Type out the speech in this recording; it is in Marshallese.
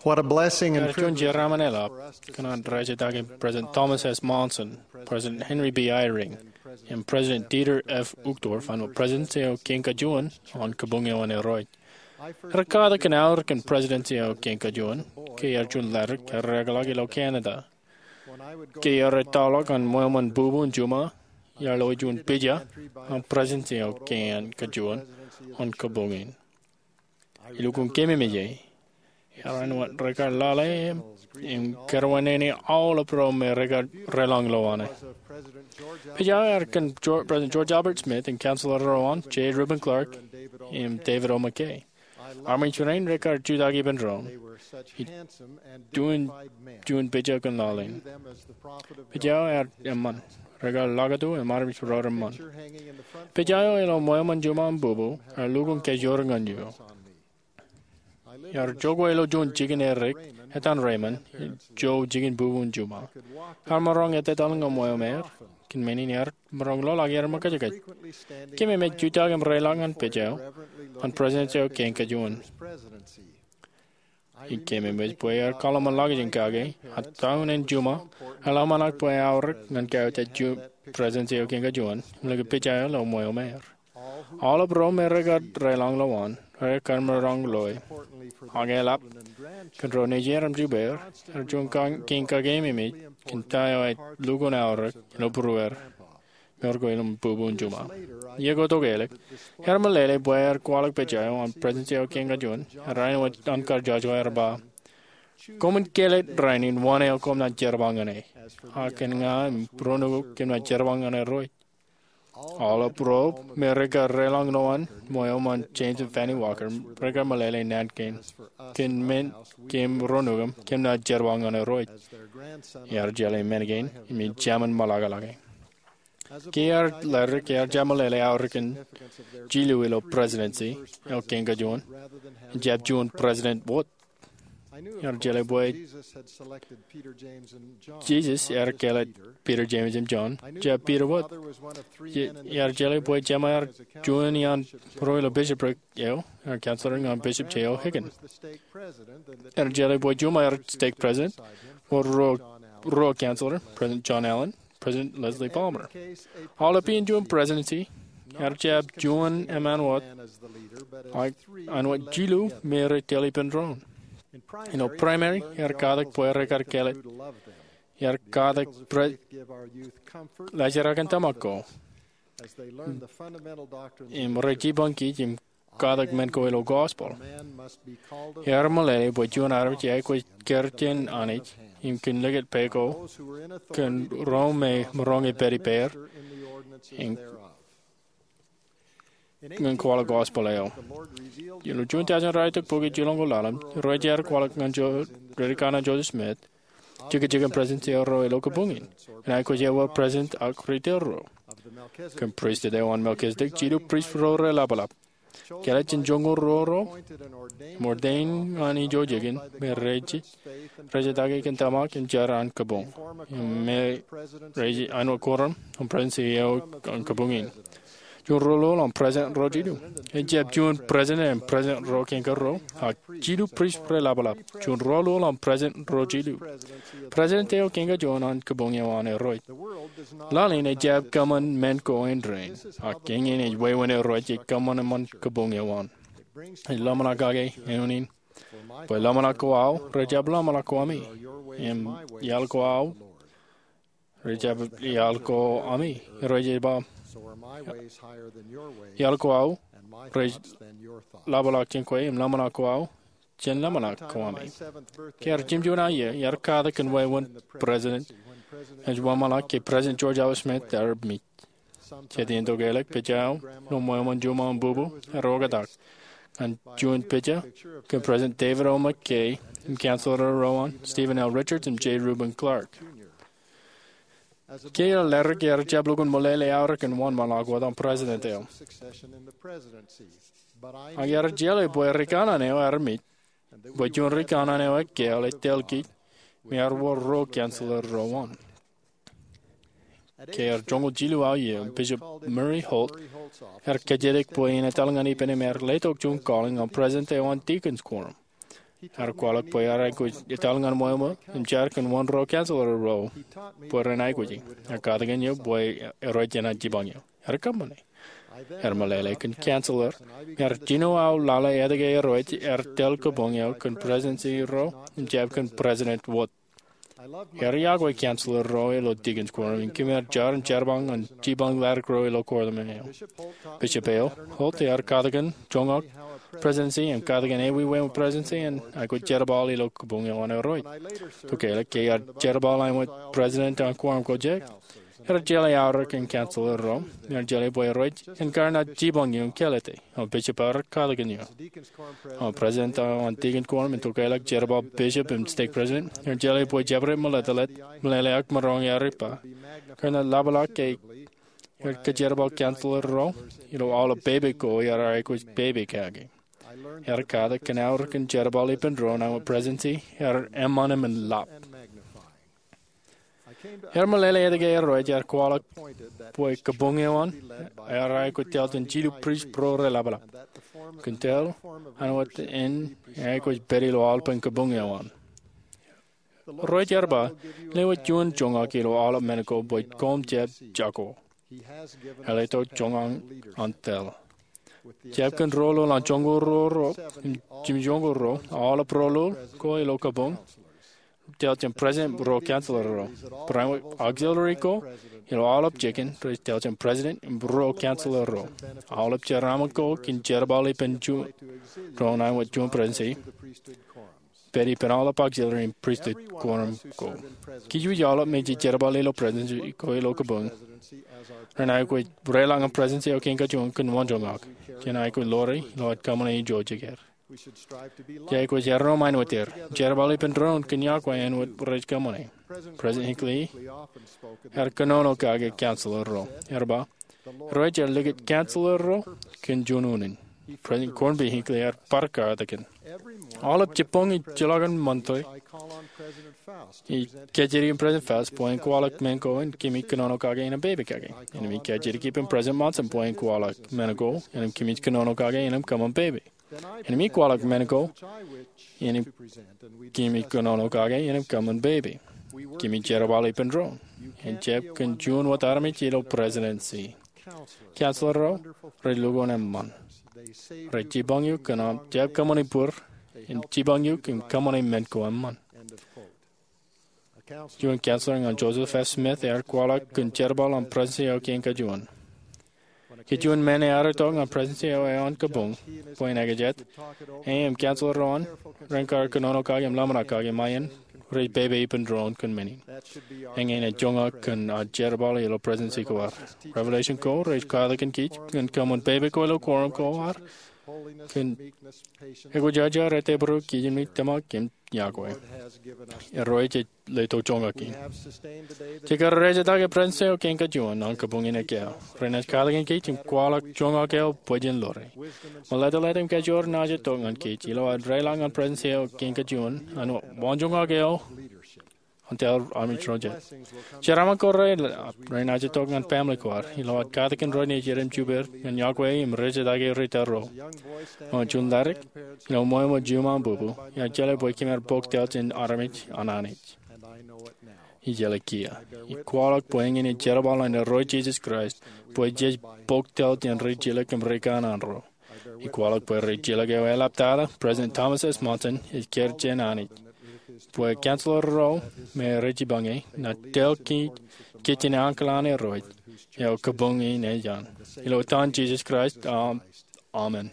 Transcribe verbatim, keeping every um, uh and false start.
What a blessing and Ear juon privilege jeraaṃṃan eḷap kōn an rej jitōñ President Thomas S. Monson, President Henry B. Eyring, im President Dieter F. Uchtdorf an Presidency eo Kein Kajuon an Kabuñ eo an Irooj. Ear katak kōn aorōk in Presidency eo Kein Kajuon ke ear juon ledik ear ekḷọk ilo Canada. Ke ear ettoḷọk an ṃweo ṃōn bubu in Juma, ear lo juon pija an Presidency eo Kein Kajuon an Kabuñ in. Ilukkuun keememej e, ear āinwōt rekar lale im kerwinene aolep ro me rekar reḷañ ilo an e. Pija eo ear kōn President George Albert Smith im Counselor ro an, J. Reuben Clark im David O. McKay. Armej rein rekar jutak ippān doon. Juon pija kōn laḷ in. Pija eo ear eṃṃan. Rekar lakatu im armej ro reṃṃan. Pija eo ilo ṃweo ṃōn Juma im bubu ear lukkuun kajoor ñan eō. Ear jokwe ilo juon jikin erik etan Raymond, ijo jikin bubu in Juma. Ear maroñ etetal ñan ṃweo ṃeer. Kōn men in ear maroñ ḷoḷḷọk er ṃōkajkōj. Keememej jutak im reḷọk ñan pija eo an Presidency eo Kein Kajuon. Im keememej bwe ear kaḷōṃanḷọk jān kake, a town in Juma, ear ḷōmṇak bwe aorōk ñan kōjatdikdik Presidency eo Kein Kajuon im likūt pija eo ilo ṃweo ṃeer. Aolep ro me rekar reḷañ ilo an, rekar maroñ loe. Ak eḷap, kōn ro nejier im jupeer, ear juon kein kakeememej kōn ta eo ej lukkuun aorōk ilo būrueer. Meḷeḷe ko ilo bubu in Juma. Iiō ko tok ālikin, ear meḷeḷe bwe ear kwaḷọk pija eo an Presidency eo Kein Kajuon, ear āinwōt an kar jojba, ear ba, koṃwin kāālōt rainin wōn eo koṃ naaj jerbal ñan e. Ak kōn ña im ro nukū kōm naaj jerbal ñan Irooj. Aolep ro me rekar reḷañ ilo an, ṃweo ṃōn James im Fanny Walker, rekar meḷeḷe naan kein, kōn men kōm ro nukū kōm naaj jerbal ñan Irooj. Ear jeḷā men kein im ej jemān ṃōḷakḷọke. Ke ear ledik ear jab meḷeḷe aorōk in jilu ilo Presidency eo Kein Kajuon, ejjab juon President wōt. Ear jeḷā bwe Jisōs ear kāālōt Peter, James im John, jab Peter wōt. Ear jeḷā bwe jema ear juon iaan ruo ilo bishopric eo, ear counselor ñan Bishop J. O. Higgins. Ear jeḷā bwe Juma ear stake president, wōr ruo counselor, President John Allen, President Leslie Palmer. Aolep iien juon presidency, ear jab juon eṃṃan wōt, ak āinwōt jilu me rej tōl ippān doon. Ilo primary, ear katak bwe rekar kāālōt. Ear katak bwe rej jerakin tōmak ko im rej jipañ kij im katak men ko ilo gospel. Ear meḷeḷe bwe juon armej eaikuj kūr jān Anij im kōn likūt pā ko kōn ro me maroñ ipād ippāer ñan kwaḷọk gospel eo. Ilo juon taujin ralitōk bukwi jilñoul ḷalem, rej jab kwaḷọk ñan Joseph Smith jekjek in presidency eo ro ilo kabuñ in, im aikuj ewōr president ak ri-tōl ro. Kōn pristut eo an Melchizedek, jilu prist ro reḷapḷap. Kāālōt jān joñoul ruo ro im ordain ñan ijo jikin me rej jitake kōn tōmak im jar an kabuñ, im me rej āinwōt quorum an presidency eo an kabuñ in. Juon ruo ḷọk an president ro jilu. Ejjab juon president im president ro kein kōrro, ak jilu prist reḷapḷap. Juon ruo ḷọk an president ro jilu. President eo kein kajuon an kabuñ eo an Irooj. Laḷ in ejjab kōṃṃan men ko in rainin, ak eñin ej wāween Irooj ej kōṃṃan eṃṃan kabuñ eo an. Ej ḷōmṇak kake eoon in. Bwe ḷōmṇak ko aō, rej jab ḷōmṇak ko ami. Im iaḷ ko aō, rej jab iaḷ ko ami. Irooj ej ba, iaḷ ko aō rej ḷapḷọk jān kwe, im ḷōmṇak ko aō jān ḷōmṇak ko ami. Ke ear jemjeman aō iiō, ear katak kōn wāween president ej wōnṃaanḷọk ke President George Albert Smith ear mej. Jet iien tok ālikin, pija eo ilo ṃweo ṃōn Juma im bubu ear oktak ñan juon pija kōn President David O. McKay im counselor ro an, Stephen L. Richards im J. Reuben Clark. Ke ear ledik ear jab lukkuun meḷeḷe aorōk in wōnṃaanḷọk wōt an president eo. Ak ear jeḷā bwe ri kanaan eo ear mej, bwe juon ri kanaan eo ekkāāl ej tōl kij, im ear wōr ruo counselor ro an. Ke ear joñoul jilu aō iiō, Bishop Murray Holt ear kōjatdikdik bwe en etal ñan ippān im ear letok juon calling an president eo an deacons quorum. Ear kwaḷọk bwe ear aikuj etal ñan ṃweo ṃweo im jar kōn wōn ruo counselor ro bwe ren aikuji. Ear katakin eō bwe erooj jenaaj jipañ eō. Ear kōṃṃane. Ear meḷeḷe kōn counselor im ear jino aō lale etke erooj ear tōl kabuñ eo kōn presidency ro im jab kōn President Wood. Ear iọkwe counselor ro ilo deacons' quorum im kōm ar jar im jerbal ñan jipañ ḷadik ro ilo quorum eo. Bishop eo, Holt, ear katakin joñak presidency im katakin ewi wāween presidency en aikuj jerbal ilo kabuñ eo an erooj. Tokālik ke ear jerbal āinwōt president an quorum ko jek, ear jeḷā aorōk in counselor ro im ear jeḷā bwe erooj en kar naaj jipañ eō im kālōte. Im bishop ear katakin eō. Im president eo an deacon quorum in tokālik jerbal bishop im stake president, ear jeḷā bwe jabdewōt meḷeḷe, meḷeḷe ak maroñ ear ippā, kar naaj ḷapḷọk ke ear kajerbal counselor ro ilo aolep pepe ko ear aikuj pepe kake. Ear katakin aorōk in jerbal ippān doon āinwōt presidency ear eṃṃan im en lap. Ear meḷeḷe etke erooj ear kwaḷọk bwe kabuñ eo an ear aikuj tōl jān jilu prist ro reḷapḷap. Kōn tōl āinwōt en eaikuj pād ilo aolepān kabuñ eo an. Irooj ear ba, lewōj juon joñak ilo aolep men ko bwe koṃ jab jako. Eḷap tok joñak an tōl. Jab kōn rōlōl an joñoul ruo ro, im jimjuonñoul ruo, aolep rōlōl ko ilo kabuñ tōl jān president ruo counselor ro. Barāinwōt auxiliary ko ilo aolep jikin rej tōl jān president im ruo counselor ro. Aolep jeraaṃṃan ko kōn jerbal ippān juon doon āinwōt juon presidency pād ippān aolep auxiliary im pristut quorum ko. Kōj wōj aolep meje jerbal ilo presidency ko ilo kabuñ ren aikuj reḷọk ñan presidency eo kein kajuon kōn wōn joñak. Jen aikuj ḷoore ilo ad kōṃṃane ijo jikier. Jej aikuj erreo ṃaen wōt er, jerbal ippān doon kōn iọkwe āinwōt rej kōṃṃane. President Hinckley ear kōnono kake counselor ro. Ear ba, irooj ear likūt counselor ro kōn juon unin. President Gordon B. Hinckley ear bar katakin. Aolep jibboñ ijjeḷọkin Monday, ij kajjitōk in President Faust bwe en kwaḷọk men ko in kōmij kōnono kake innem pepe kake. Innem ij kajjitōk ippān President Monson bwe en kwaḷọk men ko innem kōmij kōnono kake innem kōṃṃan pepe. Innem ij kwaḷọk men ko innem kōmij kōnono kake innem kōṃṃan pepe. Kōmij jerbal ippān doon. En jab kōn juon wōt armej ilo presidency. Counselor ro rej lukkuun eṃṃan. Rej jipañ eok kōn aṃ jab kōṃṃane bōd, im jipañ eok im kōṃṃane men ko eṃṃan. Juon counselor ñan Joseph F. Smith ear kwaḷọk kōn jerbal an presidency eo kein kajuon. Ke juon men ear itok ñan presidency eo an kabuñ bwe en ekōjāt, e im counselor ro an ren kar kōnono kake im ḷōmṇak kake ṃae in, rej pepe ippān doon kōn men in. Eñin ej joñak kōn ad jerbal ilo presidency ko ad. Revelation ko rej katakin kōj ñan kōṃṃan pepe ko ilo quorum ko ad kōn ekwe jar jar, ettebōro, kijenmej, tōmak im iọkwe. Irooj ej letok joñak in. Jej kar rejjitōk presidency eo kein kajuon an kabuñ in ekkā. Renaaj katakin kōj im kwaḷọk joñak eo bwe jen ḷoore. Meḷeḷe im kajoor naaj itok ñan kōj ilo ad reḷọk ñan presidency eo kein kajuon an wōn joñak eo an tōl armej ro jet. Jeraaṃṃan ko reḷap renaaj itok ñan family ko ad ilo ad katakin ro nejid im jubed ñan iọkwe im rejjitōk ri tōl ro. Eo juon ḷadik ilo ṃweo ṃōk juṃae bubu, ear jeḷā bwe kōm ar pok tōl jān armej an Anij. Ij jeḷā kiiō. Ij kwaḷọk bwe eñin ej jerbal an Irooj Jisōs Kraist bwe jej pok tōl jān rijjilōk im rikanaan ro. Ij kwaḷọk bwe rijjilōk eo eḷaptata, President Thomas S. Monson ej kar jān Anij, bwe counselor ro me rej jipañe naaj tōl kōj kōn ankilaakin Irooj eo kabuñ in ej an. Ilo etan Jisōs Kraist, amen.